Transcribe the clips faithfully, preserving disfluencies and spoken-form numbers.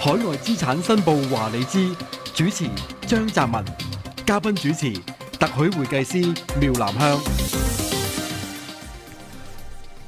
海外資產申報話你知，主持張澤文，嘉賓主持特許會計師廖南香。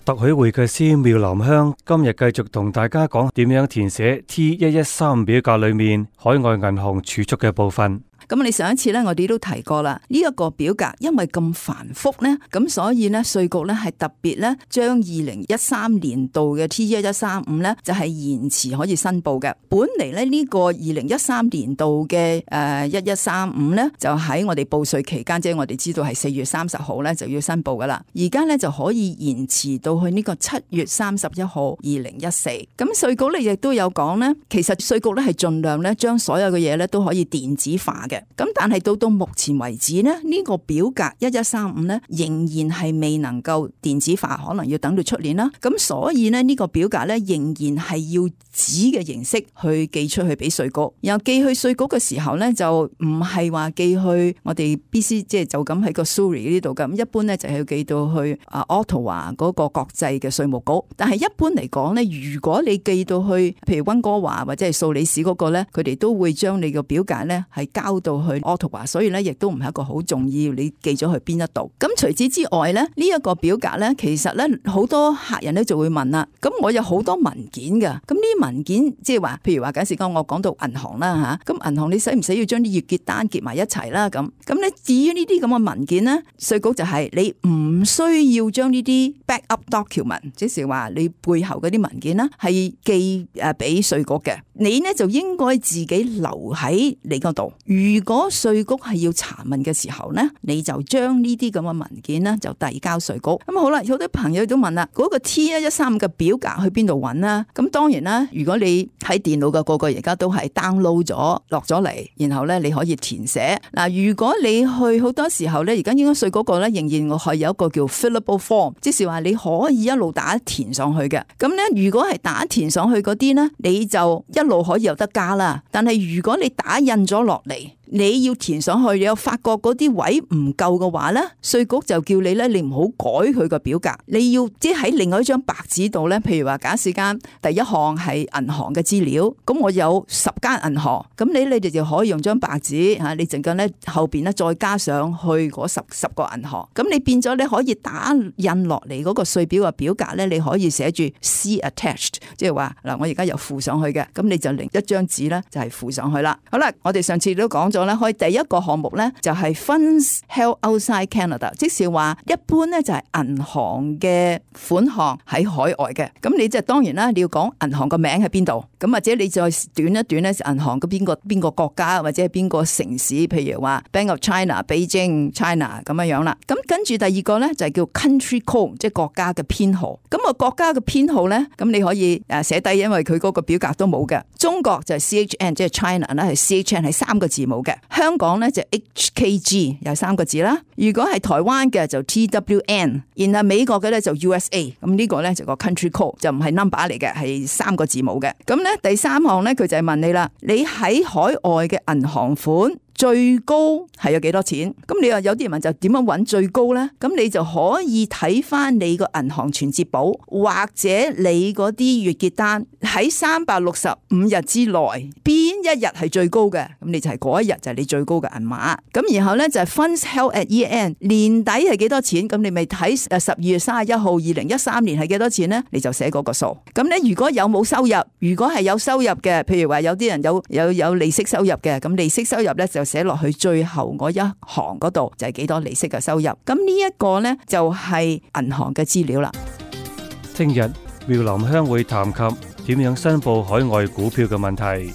特許會計師廖南香今日繼續同大家講點樣填寫 T 一一三表格裏面海外銀行儲蓄嘅部分。咁你上一次咧，我哋都提過啦。呢、這、一個表格因為咁繁複咧，咁所以咧稅局咧係特別咧將二零一三年度嘅 T 一一三五咧就係、是、延遲可以申報嘅。本嚟咧呢個二零一三年度嘅誒一一三五咧就喺我哋報稅期間，即係我哋知道係四月三十號咧就要申報噶啦。而家咧就可以延遲到去呢個七月三十一號二零一四。咁稅局咧亦都有講咧，其實稅局咧係盡量咧將所有嘅嘢咧都可以電子化嘅。咁但係到到目前為止呢，呢、這個表格一一三五呢仍然係未能夠電子化，可能要等到出年啦。咁所以呢，呢、這個表格呢仍然係要紙嘅形式去寄出去俾稅局。然後寄去稅局嘅時候呢，就唔係話寄去我哋 B C， 即係就咁喺個 Surrey 呢度咁。一般呢就係要寄到去啊 Ottawa 嗰個國際嘅稅務局。但係一般嚟講呢，如果你寄到去譬如溫哥華或者係素里市嗰個呢，佢哋都會將你個表格呢係交到去 Ottawa， 所以咧亦都唔係一個好重要，你寄咗去邊一度。咁除此之外咧，呢、這、一個表格咧，其實咧好多客人咧就會問啦。咁我有好多文件㗎，咁呢啲文件即係話，譬如話假設講我講到銀行啦吓，咁銀行你使唔使要將啲月結單結埋一齊啦？咁咁咧至於呢啲咁嘅文件咧，稅局就係你唔需要將呢啲 backup document， 即係話你背後嗰啲文件啦，係寄誒俾稅局嘅。你呢就應該自己留喺你嗰度。如果稅局係要查問嘅時候呢，你就將呢啲咁嘅文件呢就遞交稅局。咁好啦，有啲朋友都問啦，嗰、那個 T 一一三嘅表格去邊度揾啦？咁當然啦，如果你喺電腦嘅個個而家都係 download 咗落咗嚟，然後呢你可以填寫。嗱，如果你去好多時候呢，而家應該稅局個呢仍然係有一個叫 fillable form， 即是話你可以一路打填上去嘅。咁呢，如果係打填上去嗰啲呢，你就一路可以有得加啦。但係如果你打印咗落嚟，你要填上去，你又發覺嗰啲位唔夠嘅話呢，稅局就叫你呢，你唔好改佢個表格，你要即係喺另外一張白紙度呢，譬如話假設間第一項係銀行嘅資料，咁我有十間銀行，咁你你哋就可以用張白紙吓，你陣間呢後邊呢再加上去嗰十十個銀行，咁你變咗你可以打印落嚟嗰個稅表嘅表格呢，你可以寫住 See attached， 即係話嗱，我而家又附上去嘅，咁你就另一張紙呢就係附上去啦。好啦，我哋上次都講咗。開第一個項目咧就係 Funds held outside Canada， 即是話一般咧就係銀行嘅款項喺海外嘅，咁你即係當然啦，你要講銀行個名喺邊度，咁或者你再短一短咧，銀行嘅邊個邊個國家或者係邊個城市，譬如話 Bank of China、Beijing、China 咁樣樣啦。咁跟住第二個咧就係叫 Country Code， 即係國家嘅編號。咁啊國家嘅編號咧，咁你可以誒寫低，因為佢嗰個表格都冇嘅。中國就係 C H N， 即係 China 啦，係 C H N 係三個字母嘅。香港咧就 H K G 有三個字啦，如果係台灣嘅就 T W N， 然後美國嘅咧就 U S A， 咁呢個咧就個 country code 就唔係 number 嚟嘅，係三個字母嘅。咁咧第三項咧佢就係問你啦，你喺海外嘅銀行款最高係有幾多錢？咁你話有啲人問就點樣揾最高呢？咁你就可以睇翻你個銀行存摺簿，或者你嗰啲月結單喺三百六十五日之內，邊一日係最高嘅？咁你就係嗰一日就係你最高嘅銀碼。咁然後呢，就係 Funds held at year end， 年底係幾多錢？咁你咪睇誒十二月三十一號二零一三年係幾多錢呢？你就寫嗰個數。咁呢，如果有冇收入？如果係有收入嘅，譬如話有啲人有有有利息收入嘅，咁利息收入呢，就寫落去最後嗰一行嗰度就係幾多利息嘅收入。咁呢一個呢，就係銀行嘅資料啦。聽日廖南香會談及點樣申報海外股票嘅問題。